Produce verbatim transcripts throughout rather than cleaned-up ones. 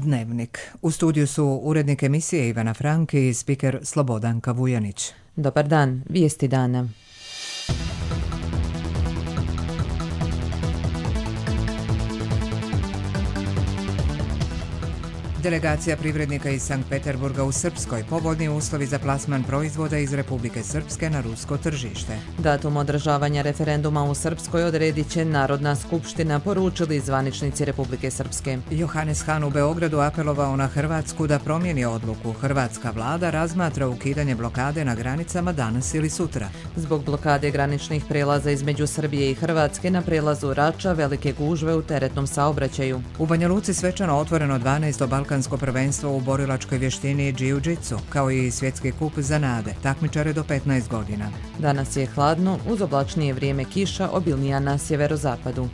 Dnevnik. U studiju su urednik emisije Ivana Franki i spiker Slobodanka Vujanić. Dobar dan, vijesti dana. Delegacija privrednika iz Sankt Peterburga u Srpskoj, povoljni uslovi za plasman proizvoda iz Republike Srpske na rusko tržište. Datum održavanja referenduma u Srpskoj odredit će Narodna skupština, poručili zvaničnici Republike Srpske. Johannes Hahn u Beogradu apelovao na Hrvatsku da promijeni odluku. Hrvatska vlada razmatra ukidanje blokade na granicama danas ili sutra. Zbog blokade graničnih prelaza između Srbije i Hrvatske na prelazu Rača velike gužve u teretnom saobraćaju. U Banja Luci svečano otvoreno dvanaesto balkansko prvenstvo u borilačkoj vještini jiu-jitsu, kao i svjetski kup za nade, takmičare do petnaest godina. Danas je hladno, uz oblačnije vrijeme kiša, obilnija na sjeverozapadu.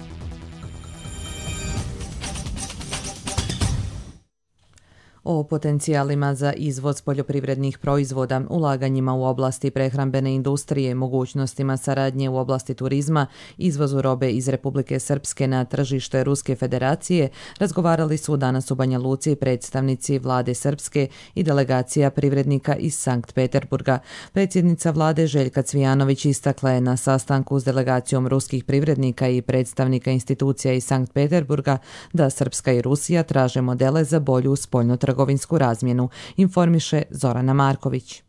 O potencijalima za izvoz poljoprivrednih proizvoda, ulaganjima u oblasti prehrambene industrije, mogućnostima saradnje u oblasti turizma, izvozu robe iz Republike Srpske na tržište Ruske federacije, razgovarali su danas u Banja Luci predstavnici vlade Srpske i delegacija privrednika iz Sankt Peterburga. Predsjednica vlade Željka Cvijanović istakla je na sastanku s delegacijom ruskih privrednika i predstavnika institucija iz Sankt Peterburga da Srpska i Rusija traže modele za bolju spoljnotrgovinsku trgovinsku razmjenu, informiše Zorana Marković.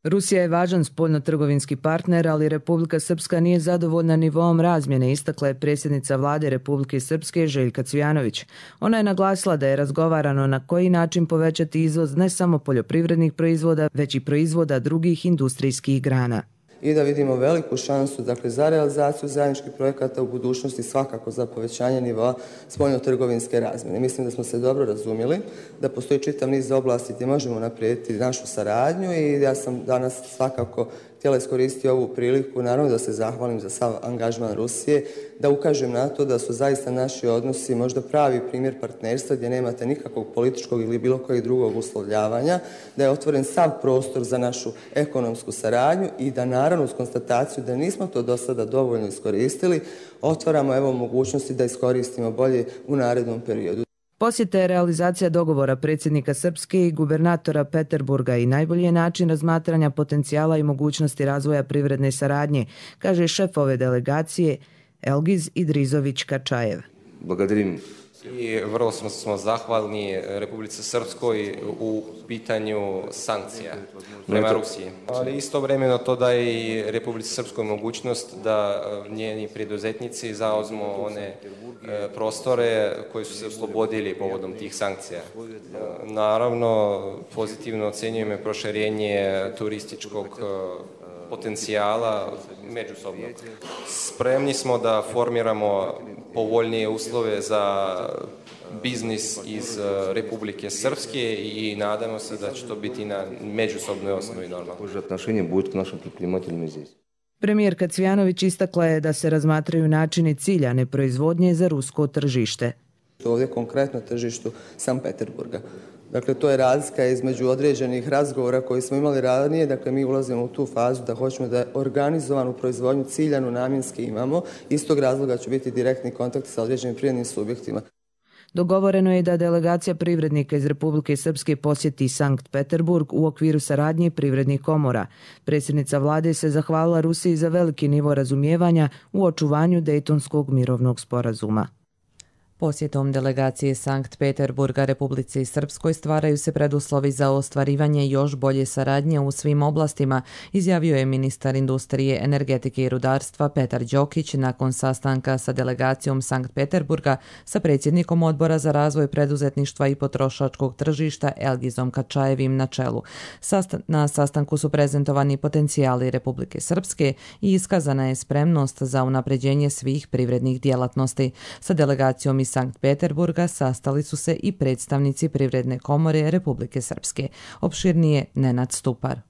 Rusija je važan spoljnotrgovinski partner, ali Republika Srpska nije zadovoljna nivoom razmjene, istakla je predsjednica vlade Republike Srpske Željka Cvijanović. Ona je naglasila da je razgovarano na koji način povećati izvoz ne samo poljoprivrednih proizvoda, već i proizvoda drugih industrijskih grana. I da vidimo veliku šansu dakle, za realizaciju zajedničkih projekata u budućnosti, svakako za povećanje nivoa spoljnotrgovinske razmjene. Mislim da smo se dobro razumjeli, da postoji čitav niz oblasti gdje možemo naprijediti našu saradnju i ja sam danas svakako htjela iskoristiti ovu priliku, naravno da se zahvalim za sav angažman Rusije, da ukažem na to da su zaista naši odnosi možda pravi primjer partnerstva gdje nemate nikakvog političkog ili bilo kojeg drugog uslovljavanja, da je otvoren sav prostor za našu ekonomsku saradnju i da naravno uz konstataciju da nismo to do sada dovoljno iskoristili, otvaramo evo mogućnosti da iskoristimo bolje u narednom periodu. Posjeta je realizacija dogovora predsjednika Srpske i gubernatora Peterburga i najbolji je način razmatranja potencijala i mogućnosti razvoja privredne saradnje, kaže šef ove delegacije Elgiz Idrizović Kačajev. Благодарим. I vrlo smo, smo zahvalni Republici Srpskoj u pitanju sankcija prema Rusiji. Ali istovremeno to daje i Republici Srpskoj mogućnost da njeni preduzetnici zauzmu one prostore koji su se oslobodili povodom tih sankcija. Naravno, pozitivno ocjenjujemo proširenje turističkog potencijala međusobno. Spremni smo da formiramo povoljnije uslove za biznis iz Republike Srpske i nadamo se da će to biti na međusobnoj osnovi normalno. Premijerka Cvijanović istakla je da se razmatraju načini ciljane proizvodnje za rusko tržište. Ovdje konkretno tržištu Sankt Peterburga. Dakle, to je razlika između određenih razgovora koji smo imali ranije. Dakle, mi ulazimo u tu fazu da hoćemo da organizovanu proizvodnju ciljanu namjenski imamo. Iz tog razloga će biti direktni kontakt sa određenim privrednim subjektima. Dogovoreno je da delegacija privrednika iz Republike Srpske posjeti Sankt Peterburg u okviru saradnje privrednih komora. Predsjednica vlade se zahvalila Rusiji za veliki nivo razumijevanja u očuvanju Dejtonskog mirovnog sporazuma. Posjetom delegacije Sankt Peterburga Republici Srpskoj stvaraju se preduslovi za ostvarivanje još bolje saradnje u svim oblastima, izjavio je ministar industrije, energetike i rudarstva Petar Đokić nakon sastanka sa delegacijom Sankt Peterburga sa predsjednikom odbora za razvoj preduzetništva i potrošačkog tržišta Elgizom Kačajevim na čelu. Na sastanku su prezentovani potencijali Republike Srpske i iskazana je spremnost za unapređenje svih privrednih djelatnosti. Sa delegacijom iz Sankt Peterburga sastali su se i predstavnici Privredne komore Republike Srpske. Opširnije Nenad Stupar.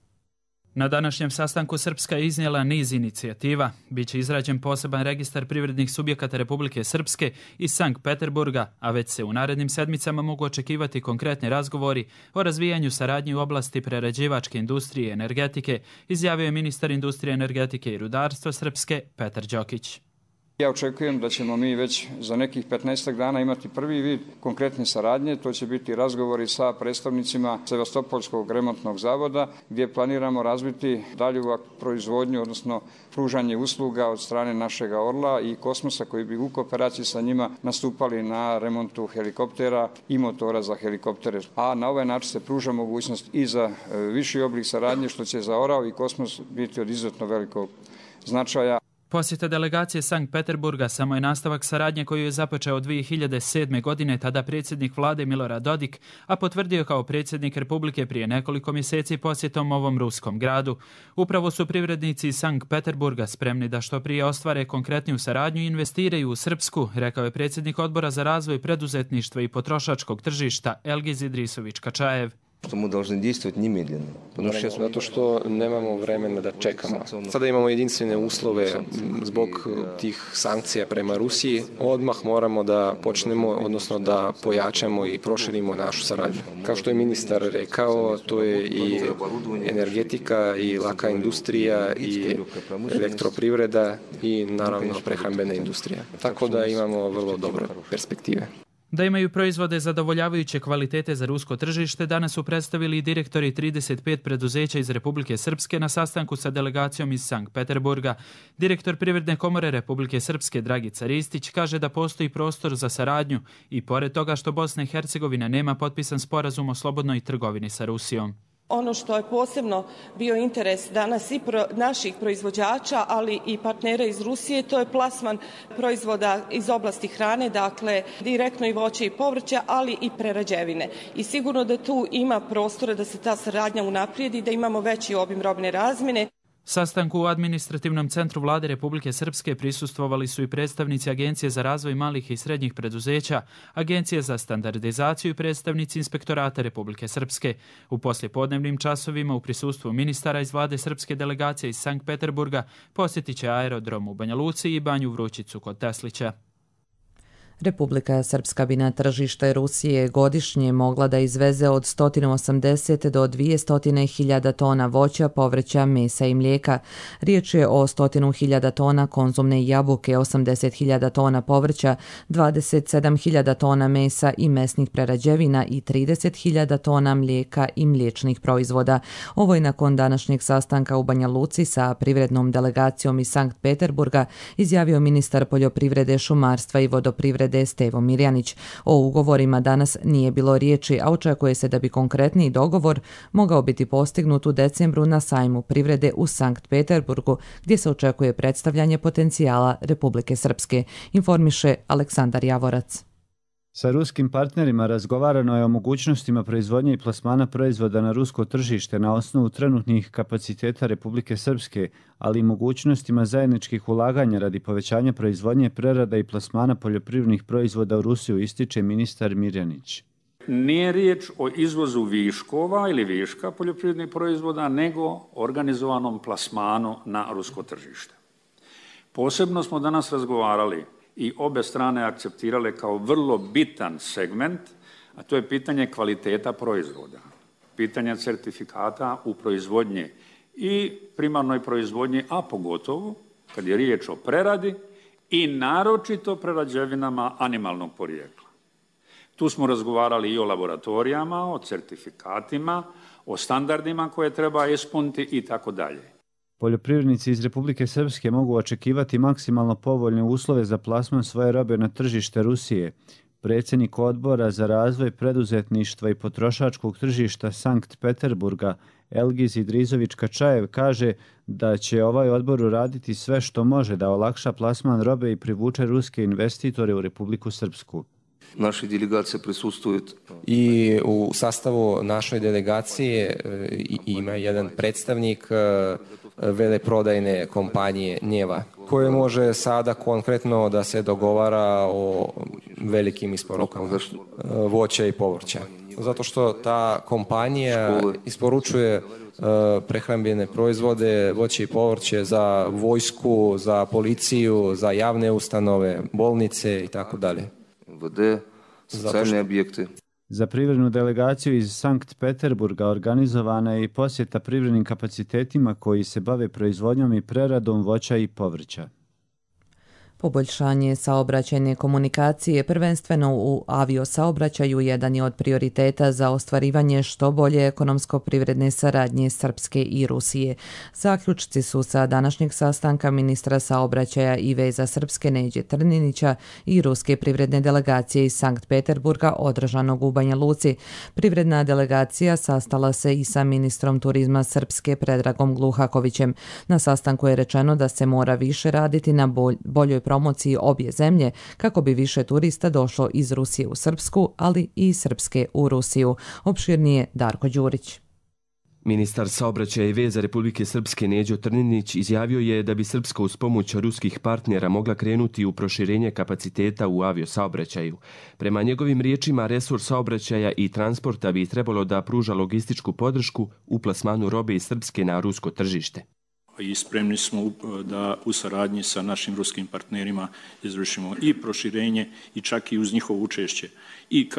Na današnjem sastanku Srpska je iznijela niz inicijativa. Biće izrađen poseban registar privrednih subjekata Republike Srpske iz Sankt Peterburga, a već se u narednim sedmicama mogu očekivati konkretni razgovori o razvijanju saradnje u oblasti prerađivačke industrije i energetike, izjavio je ministar industrije, energetike i rudarstva Srpske Petar Đokić. Ja očekujem da ćemo mi već za nekih petnaestak dana imati prvi vid konkretne saradnje. To će biti razgovori sa predstavnicima Sevastopolskog remontnog zavoda gdje planiramo razviti dalju proizvodnju, odnosno pružanje usluga od strane našega Orla i Kosmosa koji bi u kooperaciji sa njima nastupali na remontu helikoptera i motora za helikoptere. A na ovaj način se pruža mogućnost i za viši oblik saradnje što će za Orao i Kosmos biti od izuzetno velikog značaja. Posjeta delegacije Sankt Peterburga samo je nastavak saradnje koju je započeo dvije hiljade sedme. godine tada predsjednik vlade Milorad Dodik, a potvrdio kao predsjednik Republike prije nekoliko mjeseci posjetom ovom ruskom gradu. Upravo su privrednici iz Sankt Peterburga spremni da što prije ostvare konkretniju saradnju i investiraju u Srpsku, rekao je predsjednik Odbora za razvoj preduzetništva i potrošačkog tržišta Elgiz Idrisović-Kačajev. Što mu должны действовать немедленно. Zato što nemamo vremena da čekamo. Sada imamo jedinstvene uslove zbog tih sankcija prema Rusiji. Odmah moramo da počnemo, odnosno da pojačamo i proširimo našu saradnju. Kao što je ministar rekao, to je i energetika, i laka industrija, i elektroprivreda, i naravno prehrambena industrija. Tako da imamo vrlo dobre perspektive. Da imaju proizvode zadovoljavajuće kvalitete za rusko tržište, danas su predstavili i direktori trideset pet preduzeća iz Republike Srpske na sastanku sa delegacijom iz Sankt Peterburga. Direktor Privredne komore Republike Srpske Dragica Ristić kaže da postoji prostor za saradnju i pored toga što Bosna i Hercegovina nema potpisan sporazum o slobodnoj trgovini sa Rusijom. Ono što je posebno bio interes danas i pro, naših proizvođača, ali i partnera iz Rusije, to je plasman proizvoda iz oblasti hrane, dakle direktno i voće i povrće, ali i prerađevine. I sigurno da tu ima prostora da se ta saradnja unaprijedi, da imamo veći obim robne razmjene. Sastanku u administrativnom centru vlade Republike Srpske prisustvovali su i predstavnici Agencije za razvoj malih i srednjih preduzeća, Agencije za standardizaciju i predstavnici Inspektorata Republike Srpske. U poslijepodnevnim časovima u prisustvu ministara iz vlade srpske delegacije iz Sankt Peterburga posjetit će aerodrom u Banja Luci i Banju Vrućicu kod Teslića. Republika Srpska bi na tržište Rusije godišnje mogla da izveze od sto osamdeset do dvjesto hiljada tona voća, povrća, mesa i mlijeka. Riječ je o sto hiljada tona konzumne jabuke, osamdeset hiljada tona povrća, dvadeset sedam hiljada tona mesa i mesnih prerađevina i trideset hiljada tona mlijeka i mliječnih proizvoda. Ovo je nakon današnjeg sastanka u Banja Luci sa privrednom delegacijom iz Sankt Peterburga izjavio ministar poljoprivrede, šumarstva i vodoprivrede Stevo Mirjanić. O ugovorima danas nije bilo riječi, a očekuje se da bi konkretniji dogovor mogao biti postignut u decembru na sajmu privrede u Sankt Peterburgu, gdje se očekuje predstavljanje potencijala Republike Srpske, informiše Aleksandar Javorac. Sa ruskim partnerima razgovarano je o mogućnostima proizvodnje i plasmana proizvoda na rusko tržište na osnovu trenutnih kapaciteta Republike Srpske, ali i mogućnostima zajedničkih ulaganja radi povećanja proizvodnje, prerada i plasmana poljoprivrednih proizvoda u Rusiju, ističe ministar Mirjanić. Nije riječ o izvozu viškova ili viška poljoprivrednih proizvoda, nego organizovanom plasmanu na rusko tržište. Posebno smo danas razgovarali i obe strane akceptirale kao vrlo bitan segment, a to je pitanje kvaliteta proizvoda, pitanje certifikata u proizvodnji i primarnoj proizvodnji, a pogotovo kad je riječ o preradi i naročito prerađevinama animalnog porijekla. Tu smo razgovarali i o laboratorijama, o certifikatima, o standardima koje treba ispuniti i tako dalje. Poljoprivrednici iz Republike Srpske mogu očekivati maksimalno povoljne uslove za plasman svoje robe na tržište Rusije. Predsjednik Odbora za razvoj preduzetništva i potrošačkog tržišta Sankt Peterburga Elgiz Idrizović-Kačajev kaže da će ovaj odbor uraditi sve što može da olakša plasman robe i privuče ruske investitore u Republiku Srpsku. Naše delegacije prisustvuju. I u sastavu našoj delegacije ima jedan predstavnik veleprodajne kompanije Njeva, koje može sada konkretno da se dogovara o velikim isporukama voća i povrća. Zato što ta kompanija isporučuje prehrambene proizvode, voće i povrće za vojsku, za policiju, za javne ustanove, bolnice i tako dalje. Vode, socijalne objekte. Za privrednu delegaciju iz Sankt Peterburga organizovana je i posjeta privrednim kapacitetima koji se bave proizvodnjom i preradom voća i povrća. Poboljšanje saobraćajne komunikacije, prvenstveno u aviosaobraćaju, jedan je od prioriteta za ostvarivanje što bolje ekonomsko-privredne saradnje Srpske i Rusije. Zaključci su sa današnjeg sastanka ministra saobraćaja i veza Srpske Neđe Trninića i ruske privredne delegacije iz Sankt Peterburga održanog u Banja Luci. Privredna delegacija sastala se i sa ministrom turizma Srpske Predragom Gluhakovićem. Na sastanku je rečeno da se mora više raditi na bolj, boljoj promociji obje zemlje kako bi više turista došlo iz Rusije u Srpsku, ali i iz Srpske u Rusiju. Opširnije Darko Đurić. Ministar saobraćaja i veza Republike Srpske Neđo Trninić izjavio je da bi Srpska uz pomoć ruskih partnera mogla krenuti u proširenje kapaciteta u aviosaobraćaju. Prema njegovim riječima, resurs saobraćaja i transporta bi trebalo da pruža logističku podršku u plasmanu robe iz Srpske na rusko tržište. I spremni smo da u saradnji sa našim ruskim partnerima izvršimo i proširenje i čak i uz njihovo učešće i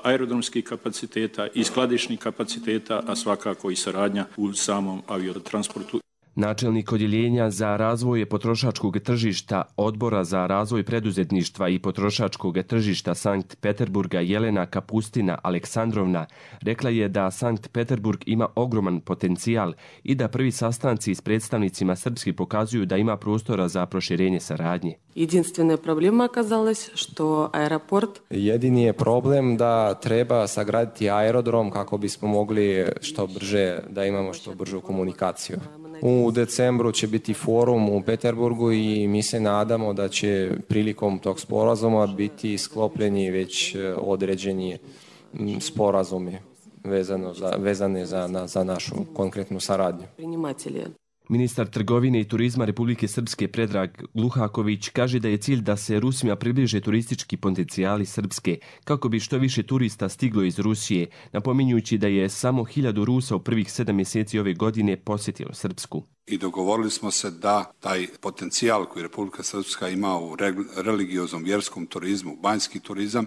aerodromskih kapaciteta i skladišnih kapaciteta, a svakako i saradnja u samom aviotransportu. Načelnik odjeljenja za razvoj potrošačkog tržišta Odbora za razvoj preduzetništva i potrošačkog tržišta Sankt Peterburga Jelena Kapustina Aleksandrovna rekla je da Sankt Peterburg ima ogroman potencijal i da prvi sastanci s predstavnicima Srpske pokazuju da ima prostora za proširenje saradnje. Jedinstvena problema okazалась, što aeroport... Jedini je problem da treba sagraditi aerodrom kako bismo mogli što brže, da imamo što bržu komunikaciju. U decembru će biti forum u Peterburgu i mi se nadamo da će prilikom tog sporazuma biti sklopljeni već određeni sporazumi vezano za, vezane za, na, za našu konkretnu saradnju. Ministar trgovine i turizma Republike Srpske Predrag Gluhaković kaže da je cilj da se Rusima približe turistički potencijali Srpske kako bi što više turista stiglo iz Rusije, napominjući da je samo hiljadu Rusa u prvih sedam mjeseci ove godine posjetilo Srpsku. I dogovorili smo se da taj potencijal koji Republika Srpska ima u religioznom vjerskom turizmu, banjski turizam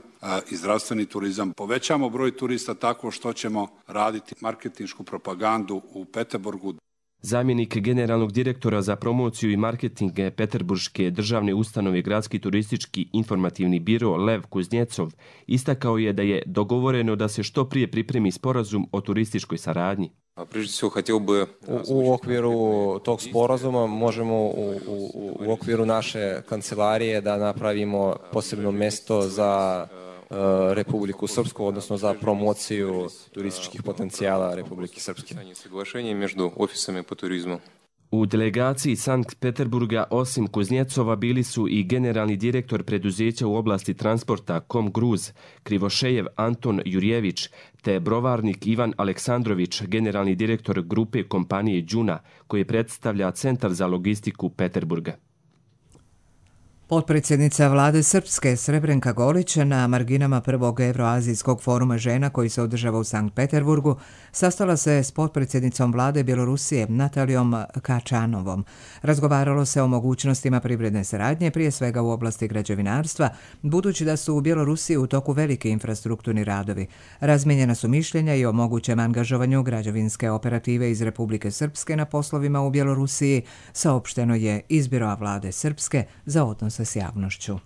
i zdravstveni turizam, povećamo broj turista tako što ćemo raditi marketinšku propagandu u Peterburgu. Zamjenik generalnog direktora za promociju i marketing Peterburške državne ustanove Gradski turistički informativni biro Lev Kuznjecov istakao je da je dogovoreno da se što prije pripremi sporazum o turističkoj saradnji. U, u okviru tog sporazuma možemo u, u, u okviru naše kancelarije da napravimo posebno mjesto za Republiku Srpsku, odnosno za promociju turističkih potencijala Republike Srpske. U delegaciji Sankt Peterburga osim Kuznjecova bili su i generalni direktor preduzeća u oblasti transporta Kom Gruz, Krivošejev Anton Jurjević, te brovarnik Ivan Aleksandrović, generalni direktor grupe kompanije Đuna, koji predstavlja Centar za logistiku Peterburga. Potpredsjednica vlade Srpske Srebrenka Golić na marginama prvog Evroazijskog foruma žena koji se održava u Sankt Peterburgu sastala se s potpredsjednicom vlade Bjelorusije Natalijom Kačanovom. Razgovaralo se o mogućnostima privredne saradnje, prije svega u oblasti građevinarstva, budući da su u Bjelorusiji u toku veliki infrastrukturni radovi. Razmijenjena su mišljenja i o mogućem angažovanju građevinske operative iz Republike Srpske na poslovima u Bjelorusiji, saopšteno je iz Biroa vlade Srpske za odnose s javnošću.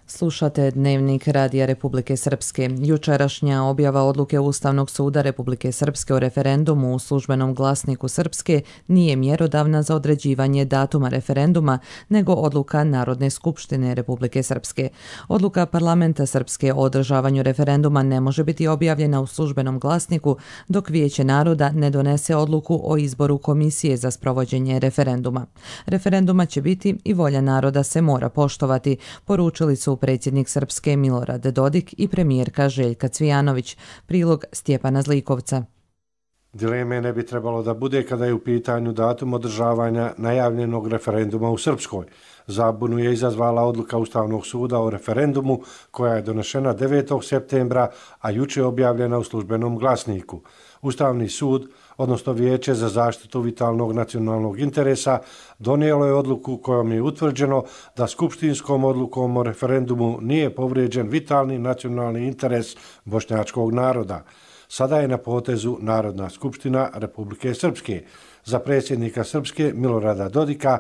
Slušate Dnevnik Radija Republike Srpske. Jučerašnja objava odluke Ustavnog suda Republike Srpske o referendumu u službenom glasniku Srpske nije mjerodavna za određivanje datuma referenduma, nego odluka Narodne skupštine Republike Srpske. Odluka Parlamenta Srpske o održavanju referenduma ne može biti objavljena u službenom glasniku dok Vijeće naroda ne donese odluku o izboru komisije za sprovođenje referenduma. Referenduma će biti i volja naroda se mora poštovati, poručili su predsjednik Srpske Milorad Dodik i premijerka Željka Cvijanović. Prilog Stjepana Zlikovca. Dileme ne bi trebalo da bude kada je u pitanju datum održavanja najavljenog referenduma u Srpskoj. Zabunu je izazvala odluka Ustavnog suda o referendumu koja je donešena devetog septembra, a juče objavljena u službenom glasniku. Ustavni sud, odnosno Vijeće za zaštitu vitalnog nacionalnog interesa, donijelo je odluku kojom je utvrđeno da skupštinskom odlukom o referendumu nije povrijeđen vitalni nacionalni interes bošnjačkog naroda. Sada je na potezu Narodna skupština Republike Srpske. Za predsjednika Srpske Milorada Dodika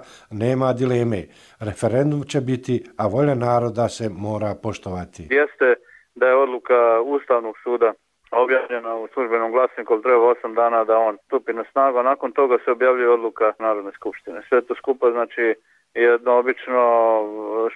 nema dileme. Referendum će biti, a volja naroda se mora poštovati. Jeste da je odluka Ustavnog suda objavljena u službenom glasniku, ali treba osam dana da on stupi na snagu, a nakon toga se objavljuje odluka Narodne skupštine. Sve to skupa znači jedno obično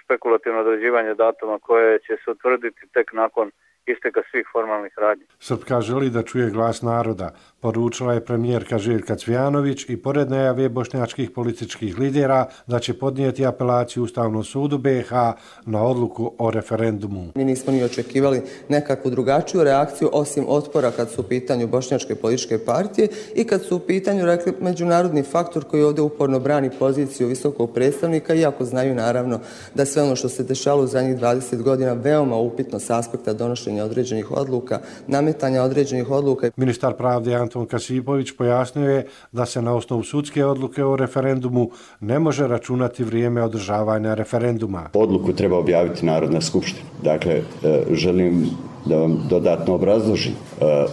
špekulativno određivanje datuma koje će se utvrditi tek nakon isteka svih formalnih radnji. Srpska želi da čuje glas naroda, poručila je premijerka Željka Cvijanović i pored najave bošnjačkih političkih lidera da će podnijeti apelaciju Ustavnom sudu B i H na odluku o referendumu. Mi nismo ni očekivali nekakvu drugačiju reakciju osim otpora kad su u pitanju bošnjačke političke partije i kad su u pitanju, rekli, međunarodni faktor koji ovdje uporno brani poziciju visokog predstavnika, iako znaju naravno da sve ono što se dešalo u zadnjih dvadeset godina veoma upitno s aspekta donošenja određenih odluka, nametanja određenih odluka. Ministar pravde Anton Kasipović pojasnio je da se na osnovu sudske odluke o referendumu ne može računati vrijeme održavanja referenduma. Odluku treba objaviti Narodna skupština. Dakle, želim da vam dodatno obrazložim.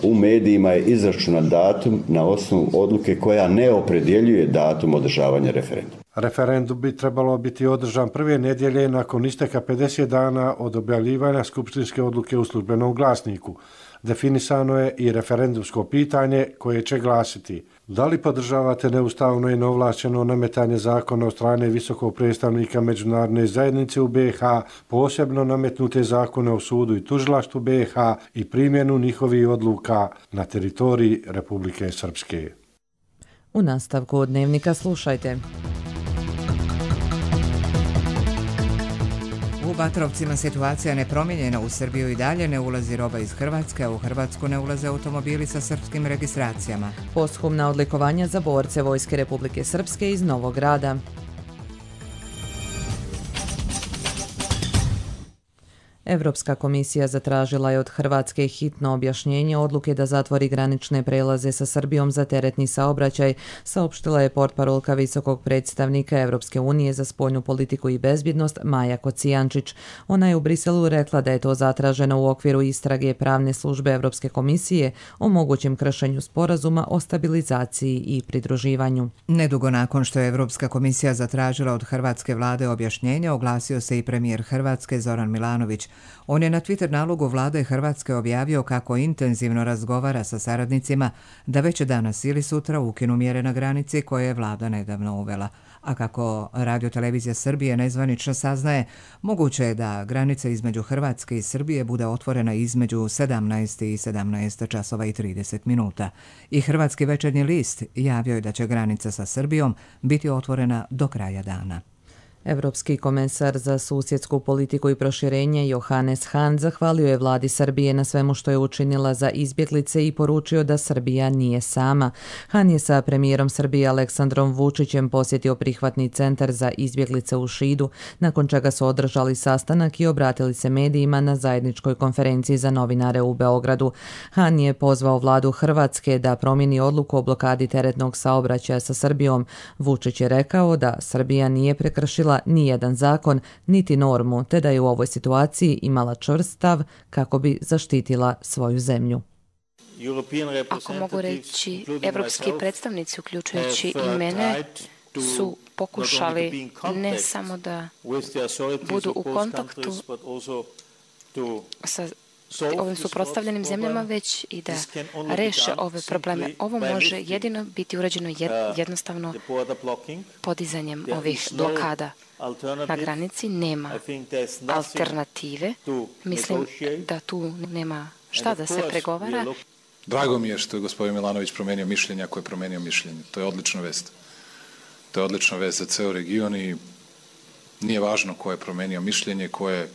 U medijima je izračunat datum na osnovu odluke koja ne opredjeljuje datum održavanja referenduma. Referendum bi trebalo biti održan prve nedjelje nakon isteka pedeset dana od objavljivanja skupštinske odluke u službenom glasniku. Definisano je i referendumsko pitanje koje će glasiti: da li podržavate neustavno i neovlašćeno nametanje zakona od strane visokog predstavnika međunarodne zajednice u B i H, posebno nametnute zakone o sudu i tužilaštvu B i H i primjenu njihovih odluka na teritoriji Republike Srpske. U nastavku Dnevnika slušajte. U Batrovcima situacija nepromijenjena. U Srbiju i dalje ne ulazi roba iz Hrvatske, a u Hrvatsku ne ulaze automobili sa srpskim registracijama. Posthumna odlikovanja za borce Vojske Republike Srpske iz Novog Grada. Evropska komisija zatražila je od Hrvatske hitno objašnjenje odluke da zatvori granične prelaze sa Srbijom za teretni saobraćaj, saopštila je portparolka visokog predstavnika Evropske unije za spoljnu politiku i bezbjednost Maja Kocijančić. Ona je u Briselu rekla da je to zatraženo u okviru istrage pravne službe Evropske komisije o mogućem kršenju sporazuma o stabilizaciji i pridruživanju. Nedugo nakon što je Evropska komisija zatražila od hrvatske vlade objašnjenje, oglasio se i premijer Hrvatske Zoran Milanović. On je na Twitter nalogu vlade Hrvatske objavio kako intenzivno razgovara sa saradnicima da već danas ili sutra ukinu mjere na granici koje je vlada nedavno uvela. A kako Radio-televizija Srbije nezvanično saznaje, moguće je da granica između Hrvatske i Srbije bude otvorena između sedamnaest i sedamnaest časova i trideset minuta. I Hrvatski večernji list javio je da će granica sa Srbijom biti otvorena do kraja dana. Evropski komesar za susjedsku politiku i proširenje Johannes Hahn zahvalio je vladi Srbije na svemu što je učinila za izbjeglice i poručio da Srbija nije sama. Hahn je sa premijerom Srbije Aleksandrom Vučićem posjetio prihvatni centar za izbjeglice u Šidu, nakon čega su održali sastanak i obratili se medijima na zajedničkoj konferenciji za novinare u Beogradu. Hahn je pozvao vladu Hrvatske da promijeni odluku o blokadi teretnog saobraćaja sa Srbijom. Vučić je rekao da Srbija nije prekršila ni jedan zakon, niti normu, te da je u ovoj situaciji imala čvrst stav kako bi zaštitila svoju zemlju. Ako mogu reći, evropski predstavnici, uključujući i mene, su pokušali ne samo da budu u kontaktu sa ovim suprotstavljenim zemljama, već i da reše ove probleme. Ovo može jedino biti urađeno jednostavno podizanjem ovih blokada. Na granici nema alternative. Mislim da tu nema šta da se pregovara. Drago mi je što je gospodin Milanović promijenio mišljenje ako je promijenio mišljenje. To je odlična vest. To je odlična vest za ceo region i nije važno ko je promijenio mišljenje, ko je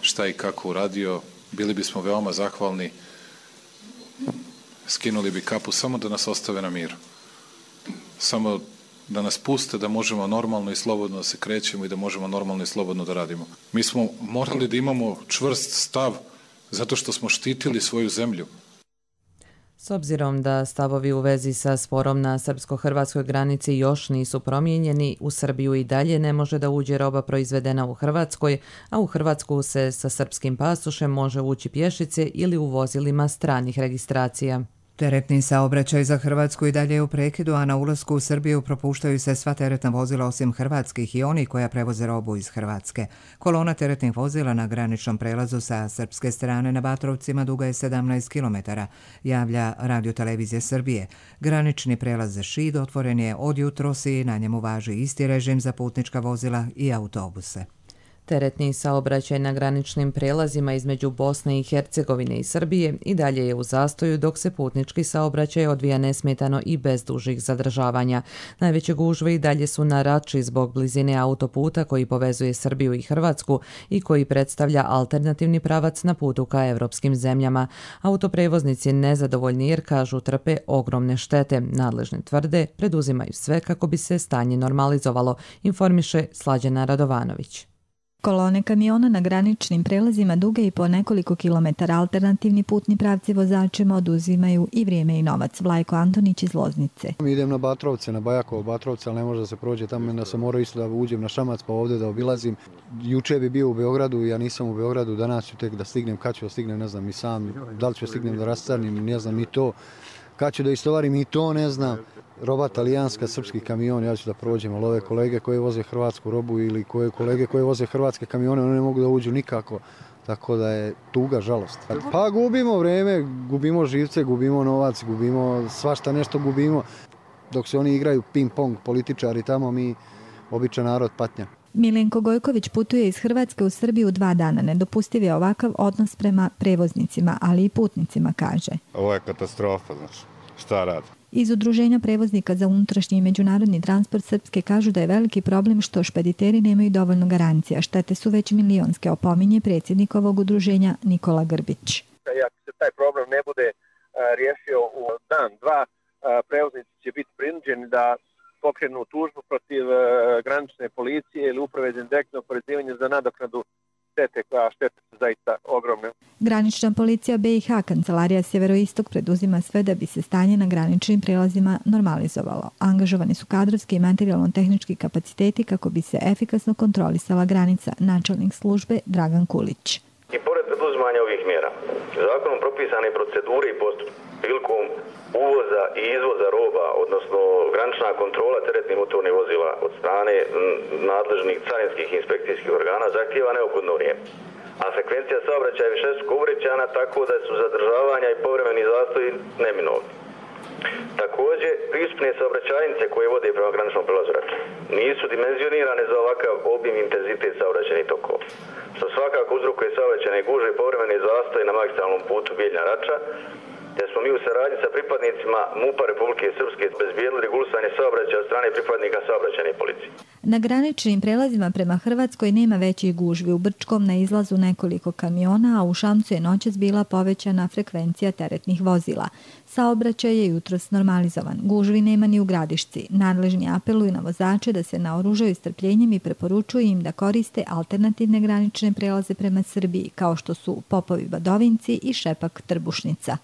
šta i kako uradio. Bili bismo veoma zahvalni, skinuli bi kapu samo da nas ostave na miru. Samo da nas puste da možemo normalno i slobodno da se krećemo i da možemo normalno i slobodno da radimo. Mi smo morali da imamo čvrst stav zato što smo štitili svoju zemlju. S obzirom da stavovi u vezi sa sporom na srpsko-hrvatskoj granici još nisu promijenjeni, u Srbiju i dalje ne može da uđe roba proizvedena u Hrvatskoj, a u Hrvatsku se sa srpskim pasošem može ući pješice ili u vozilima stranih registracija. Teretni saobraćaj za Hrvatsku i dalje je u prekidu, a na ulasku u Srbiju propuštaju se sva teretna vozila osim hrvatskih i oni koja prevoze robu iz Hrvatske. Kolona teretnih vozila na graničnom prelazu sa srpske strane na Batrovcima duga je sedamnaest kilometara, javlja Radiotelevizija Srbije. Granični prelaz Šid otvoren je od jutros i na njemu važi isti režim za putnička vozila i autobuse. Teretni saobraćaj na graničnim prijelazima između Bosne i Hercegovine i Srbije i dalje je u zastoju, dok se putnički saobraćaj odvija nesmetano i bez dužih zadržavanja. Najveće gužve i dalje su na Rači zbog blizine autoputa koji povezuje Srbiju i Hrvatsku i koji predstavlja alternativni pravac na putu ka evropskim zemljama. Autoprevoznici nezadovoljni jer, kažu, trpe ogromne štete. Nadležni tvrde preduzimaju sve kako bi se stanje normalizovalo, informiše Slađana Radovanović. Kolone kamiona na graničnim prelazima duge i po nekoliko kilometara, alternativni putni pravci vozačima oduzimaju i vrijeme i novac. Vlajko Antonić iz Loznice. Idem na Batrovce, na Bajakovo Batrovce, ali ne može da se prođe tamo, da sam morao isto da uđem na Šamac pa ovdje da obilazim. Juče bi bio u Beogradu, ja nisam u Beogradu, danas ću tek da stignem, kad ću da stignem, ne znam, i sam, da li ću da stignem da rastarnim, ne znam, ni to. Kad ću da istovarim, i to ne znam. Roba talijanska, srpski kamion, ja ću da prođem, ali ove kolege koje voze hrvatsku robu ili koje kolege koje voze hrvatske kamione, one ne mogu da uđu nikako, tako da je tuga, žalost. Pa gubimo vreme, gubimo živce, gubimo novac, gubimo svašta nešto gubimo, dok se oni igraju ping-pong, političari tamo, mi, običan narod, patnja. Milenko Gojković putuje iz Hrvatske u Srbiju dva dana. Nedopustiv je ovakav odnos prema prevoznicima, ali i putnicima, kaže. Ovo je katastrofa, znači, šta radi? Iz Udruženja prevoznika za unutrašnji i međunarodni transport Srpske kažu da je veliki problem što špediteri nemaju dovoljno garancija. Štete su već milionske, opominje predsjednik ovog udruženja Nikola Grbić. Ako se taj problem ne bude riješio u dan, dva, prevoznici će biti prinuđeni da pokrenu tužbu protiv granične policije ili uprave za indirektno oporezivanje za nadoknadu štete, koja štete su zaista ogromne. Granična policija B i H, Kancelarija Sjeveroistok, preduzima sve da bi se stanje na graničnim prijelazima normalizovalo. Angažovani su kadrovski i materijalno-tehnički kapaciteti kako bi se efikasno kontrolisala granica, načelnik službe Dragan Kulić. I pored preduzimanja ovih mjera, zakonom propisane procedure i postupke prilikom uvoza i izvoza roba, odnosno granična kontrola teretnih motornih vozila od strane nadležnih carinskih inspekcijskih organa zahtijeva neophodno vrijeme. A frekvencija saobraćaja je višestruko uvećana, tako da su zadržavanja i povremeni zastoji neminovni. Također, pristupne saobraćajnice koje vode prema graničnom prelazu Rača nisu dimenzionirane za ovakav obim intenzitet saobraćajnih tokova, što svakako uzrokuje saobraćajne gužve i povremene zastoje na magistralnom putu Bijeljina-Rača, te smo mi u saradnji sa pripadnicima MUP-a Republike Srpske bezbijedili regulisanje saobraćaja od strane pripadnika saobraćajne policije. Na graničnim prelazima prema Hrvatskoj nema većih gužvi. U Brčkom na izlazu nekoliko kamiona, a u Šamcu je noćas bila povećana frekvencija teretnih vozila. Saobraćaj je jutros normalizovan. Gužvi nema ni u Gradišci. Nadležni apeluju na vozače da se naoružaju strpljenjem i preporučuju im da koriste alternativne granične prelaze prema Srbiji, kao što su Popovi Badovinci i Šepak Trbušnica.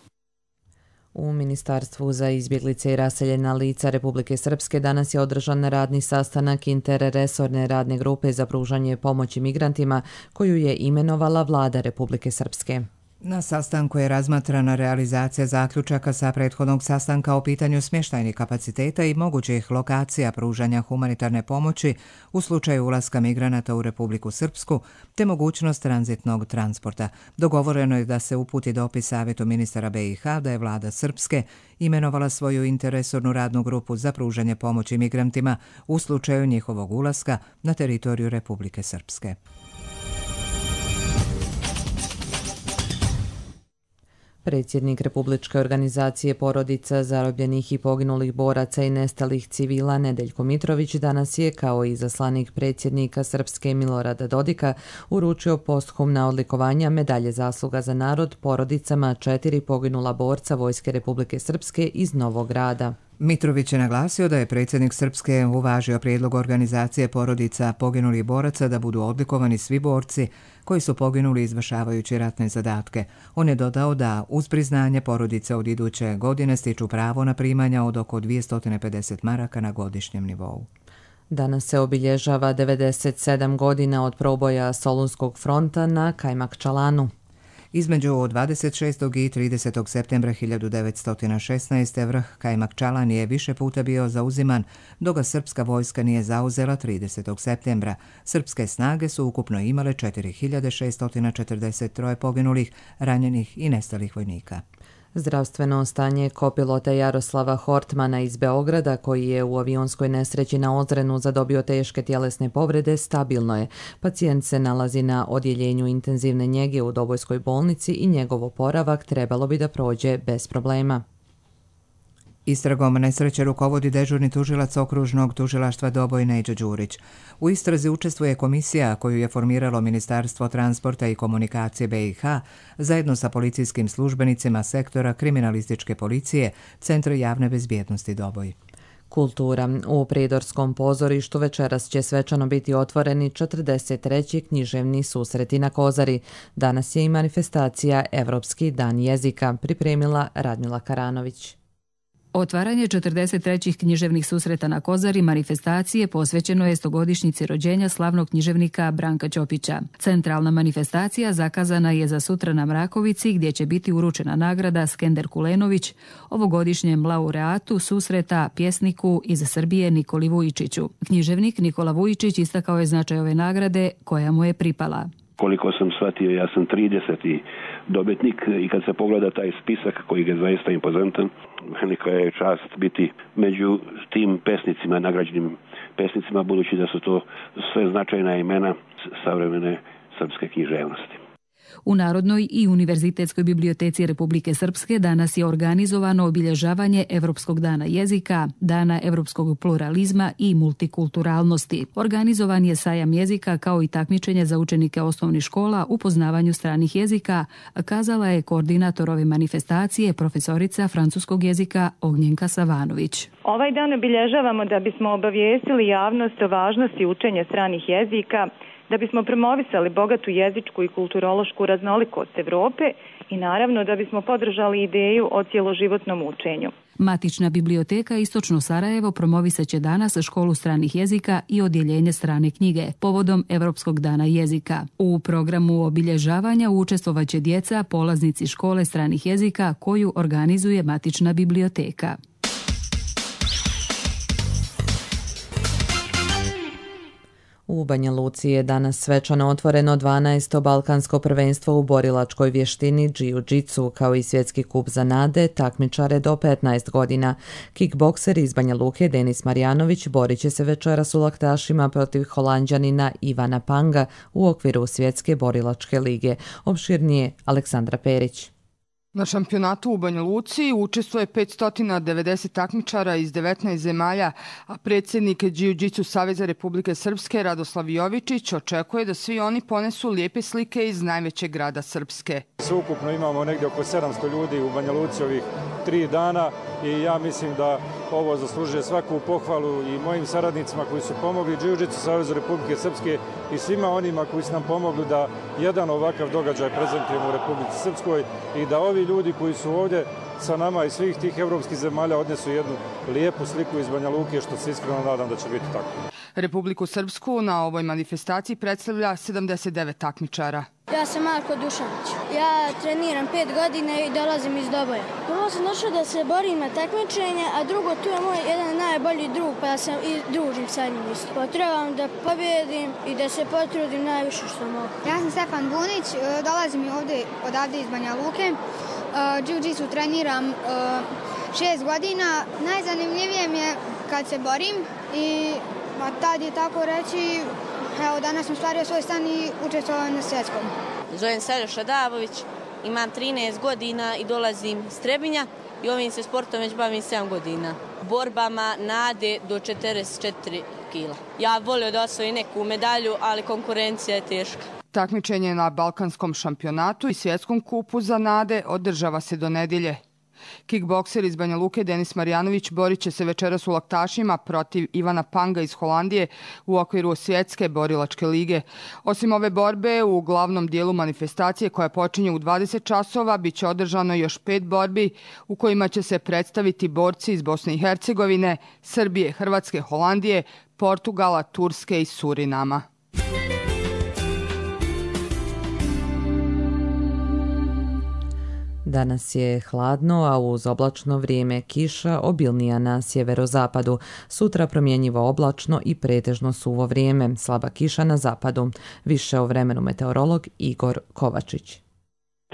U Ministarstvu za izbjeglice i raseljena lica Republike Srpske danas je održan radni sastanak interresorne radne grupe za pružanje pomoći migrantima koju je imenovala Vlada Republike Srpske. Na sastanku je razmatrana realizacija zaključaka sa prethodnog sastanka o pitanju smještajnih kapaciteta i mogućih lokacija pružanja humanitarne pomoći u slučaju ulaska migranata u Republiku Srpsku, te mogućnost tranzitnog transporta. Dogovoreno je da se uputi dopis Savjetu ministara B i H da je Vlada Srpske imenovala svoju interresornu radnu grupu za pružanje pomoći migrantima u slučaju njihovog ulaska na teritoriju Republike Srpske. Predsjednik Republičke organizacije porodica zarobljenih i poginulih boraca i nestalih civila Nedeljko Mitrović danas je, kao i izaslanik predsjednika Srpske Milorada Dodika, uručio posthumna odlikovanja medalje zasluga za narod porodicama četiri poginula borca Vojske Republike Srpske iz Novog Grada. Mitrović je naglasio da je predsjednik Srpske uvažio prijedlog organizacije porodica poginulih boraca da budu odlikovani svi borci koji su poginuli izvršavajući ratne zadatke. On je dodao da uz priznanje porodice od iduće godine stiču pravo na primanja od oko dvjesto pedeset maraka na godišnjem nivou. Danas se obilježava devedeset sedam godina od proboja Solunskog fronta na Kajmakčalanu. Između dvadeset šestog i tridesetog septembra hiljadu devetsto šesnaeste. vrh Kajmakčalan je više puta bio zauziman, dok ga srpska vojska nije zauzela tridesetog septembra. Srpske snage su ukupno imale četiri hiljade šesto četrdeset tri poginulih, ranjenih i nestalih vojnika. Zdravstveno stanje kopilota Jaroslava Hortmana iz Beograda, koji je u avionskoj nesreći na Ozrenu zadobio teške tjelesne povrede, stabilno je. Pacijent se nalazi na odjeljenju intenzivne njege u Dobojskoj bolnici i njegov oporavak trebalo bi da prođe bez problema. Istragom nesreće rukovodi dežurni tužilac okružnog tužilaštva Doboj Neđo Đurić. U istrazi učestvuje komisija koju je formiralo Ministarstvo transporta i komunikacije B i H zajedno sa policijskim službenicima sektora kriminalističke policije Centra javne bezbjednosti Doboj. Kultura. U Prijedorskom pozorištu večeras će svečano biti otvoreni četrdeset treći književni susreti na Kozari. Danas je i manifestacija Evropski dan jezika, pripremila Radmila Karanović. Otvaranje četrdeset trećih književnih susreta na Kozari manifestacije posvećeno je stogodišnjici rođenja slavnog književnika Branka Ćopića. Centralna manifestacija zakazana je za sutra na Mrakovici, gdje će biti uručena nagrada Skender Kulenović, ovogodišnjem laureatu susreta pjesniku iz Srbije Nikoli Vujičiću. Književnik Nikola Vujičić istakao je značaj ove nagrade koja mu je pripala. Koliko sam shvatio, ja sam trideseti dobitnik i kad se pogleda taj spisak koji je zaista impozantan, velika je čast biti među tim pesnicima, nagrađenim pesnicima, budući da su to sve značajna imena savremene srpske književnosti. U Narodnoj i Univerzitetskoj biblioteci Republike Srpske danas je organizovano obilježavanje Evropskog dana jezika, Dana evropskog pluralizma i multikulturalnosti. Organizovan je sajam jezika kao i takmičenje za učenike osnovnih škola u poznavanju stranih jezika, kazala je koordinator ove manifestacije, profesorica francuskog jezika Ognjenka Savanović. Ovaj dan obilježavamo da bismo obavijestili javnost o važnosti učenja stranih jezika, da bismo promovisali bogatu jezičku i kulturološku raznolikost Evrope i naravno da bismo podržali ideju o cjeloživotnom učenju. Matična biblioteka Istočno Sarajevo promovisat će danas školu stranih jezika i odjeljenje strane knjige povodom Evropskog dana jezika. U programu obilježavanja učestvovaće djeca polaznici škole stranih jezika koju organizuje Matična biblioteka. U Banja Luci je danas svečano otvoreno dvanaesto balkansko prvenstvo u borilačkoj vještini džiu-džitsu, kao i svjetski kup za nade, takmičare do petnaest godina. Kickbokser iz Banja Luke Denis Marjanović borit će se večeras u laktašima protiv Holanđanina Ivana Panga u okviru svjetske borilačke lige. Opširnije Aleksandra Perić. Na šampionatu u Banja Luci učestvuje petsto devedeset takmičara iz devetnaest zemalja, a predsjednik Džiu-džitsu Saveza Republike Srpske Radoslav Jovičić očekuje da svi oni ponesu lijepe slike iz najvećeg grada Srpske. Sveukupno imamo negdje oko sedamsto ljudi u Banja Luci ovih tri dana i ja mislim da ovo zaslužuje svaku pohvalu i mojim saradnicima koji su pomogli Džiu-džitsu Savezu Republike Srpske i svima onima koji su nam pomogli da jedan ovakav događaj prezentujemo u Republici Srpskoj i da ovi ljudi koji su ovdje sa nama iz svih tih evropskih zemalja odnesu jednu lijepu sliku iz Banja Luke, što se iskreno nadam da će biti tako. Republiku Srpsku na ovoj manifestaciji predstavlja sedamdeset devet takmičara. Ja sam Marko Dušanić. Ja treniram pet godina i dolazim iz Doboja. Prvo sam došao da se borim na takmičenje, a drugo tu je moj jedan najbolji drug, pa ja sam i družim sa njim isto. Potrebam da pobjedim i da se potrudim najviše što mogu. Ja sam Stefan Bunić, dolazim ovdje odavde iz Banja Luke. Džiu-džitsu treniram šest godina. Najzanimljivije mi je kad se borim i tad je tako reći, evo danas sam stvario svoj stan i učestvovao na svjetskom. Zovem se Aljoša Davović, imam trinaest godina i dolazim iz Trebinja i ovim se sportom već bavim sedam godina. Borbama nade do četrdeset četiri kila. Ja volio da osvojim neku medalju, ali konkurencija je teška. Takmičenje na balkanskom šampionatu i svjetskom kupu za nade održava se do nedjelje. Kickbokser iz Banja Luke Denis Marjanović borit će se večeras u laktašima protiv Ivana Panga iz Holandije u okviru svjetske borilačke lige. Osim ove borbe, u glavnom dijelu manifestacije koja počinje u dvadeset časova bit će održano još pet borbi u kojima će se predstaviti borci iz Bosne i Hercegovine, Srbije, Hrvatske, Holandije, Portugala, Turske i Surinama. Danas je hladno, a uz oblačno vrijeme kiša obilnija na sjeverozapadu. Sutra promjenjivo oblačno i pretežno suvo vrijeme, slaba kiša na zapadu. Više o vremenu meteorolog Igor Kovačić.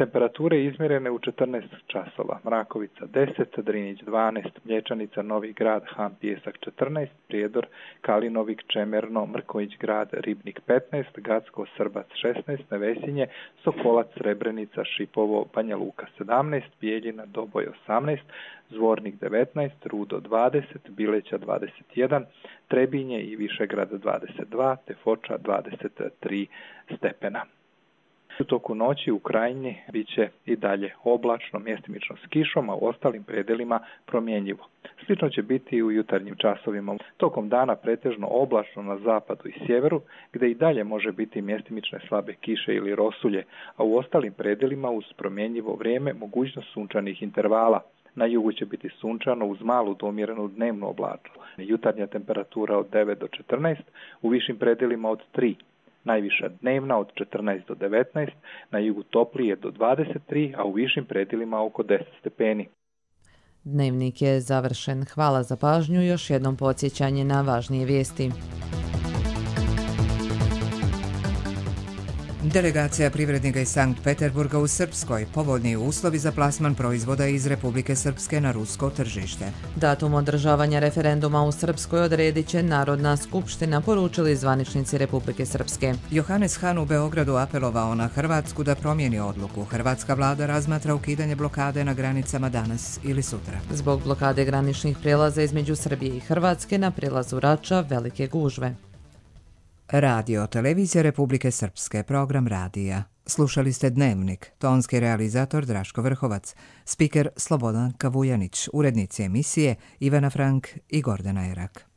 Temperature izmjerene u četrnaest časova. Mrakovica deset, Drinić dvanaest, Mlječanica, Novi Grad, Han Pijesak četrnaest, Prijedor, Kalinovik, Čemerno, Mrković Grad, Ribnik petnaest, Gacko, Srbac šesnaest, Nevesinje, Sokolac, Srebrenica, Šipovo, Banja Luka sedamnaest, Bijeljina, Doboj osamnaest, Zvornik devetnaest, Rudo dvadeset, Bileća dvadeset jedan, Trebinje i Višegrad dvadeset dva, te Foča dvadeset tri stepena. U toku noći u Krajini bit će i dalje oblačno, mjestimično s kišom, a u ostalim predelima promjenjivo. Slično će biti i u jutarnjim časovima. Tokom dana pretežno oblačno na zapadu i sjeveru, gdje i dalje može biti mjestimične slabe kiše ili rosulje, a u ostalim predelima uz promjenjivo vrijeme mogućnost sunčanih intervala. Na jugu će biti sunčano uz malu do umjerenu dnevnu oblačnost. Jutarnja temperatura od devet do četrnaest, u višim predelima od tri. Najviša dnevna od četrnaest do devetnaest, na jugu toplije do dvadeset tri, a u višim predjelima oko deset stepeni. Dnevnik je završen. Hvala za pažnju. Još jednom podsjećanje na važnije vijesti. Delegacija privrednika iz Sankt Peterburga u Srpskoj, povoljniji uslovi za plasman proizvoda iz Republike Srpske na rusko tržište. Datum održavanja referenduma u Srpskoj odredit će Narodna skupština, poručili zvaničnici Republike Srpske. Johannes Hahn u Beogradu apelovao na Hrvatsku da promijeni odluku. Hrvatska vlada razmatra ukidanje blokade na granicama danas ili sutra. Zbog blokade graničnih prijelaza između Srbije i Hrvatske na prijelazu Rača velike gužve. Radio Televizija Republike Srpske, program radija. Slušali ste Dnevnik, tonski realizator Draško Vrhovac, spiker Slobodan Kavujanić, urednici emisije Ivana Frank i Gordana Erak.